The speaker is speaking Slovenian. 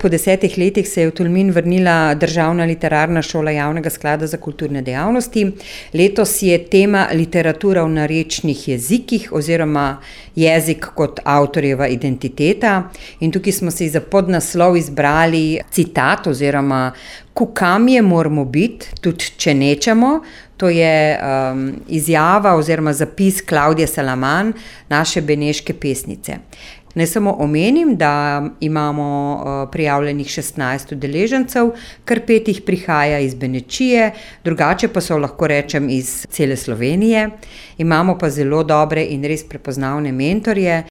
Po 10 letih se je v Tolmin vrnila Državna literarna šola Javnega sklada za kulturne dejavnosti. Letos je tema literatura v narečnih jezikih oziroma jezik kot avtorjeva identiteta. In tukaj smo si za podnaslov izbrali citat oziroma Kukamje moramo biti, tudi če nečemo. To je izjava oziroma zapis Klavdije Salaman, naše beneške pesnice. Naj samo omenim, da imamo prijavljenih 16 udeležencev, kar 5 jih prihaja iz Benečije, drugače pa so, lahko rečem, iz cele Slovenije. Imamo pa zelo dobre in res prepoznavne mentorje.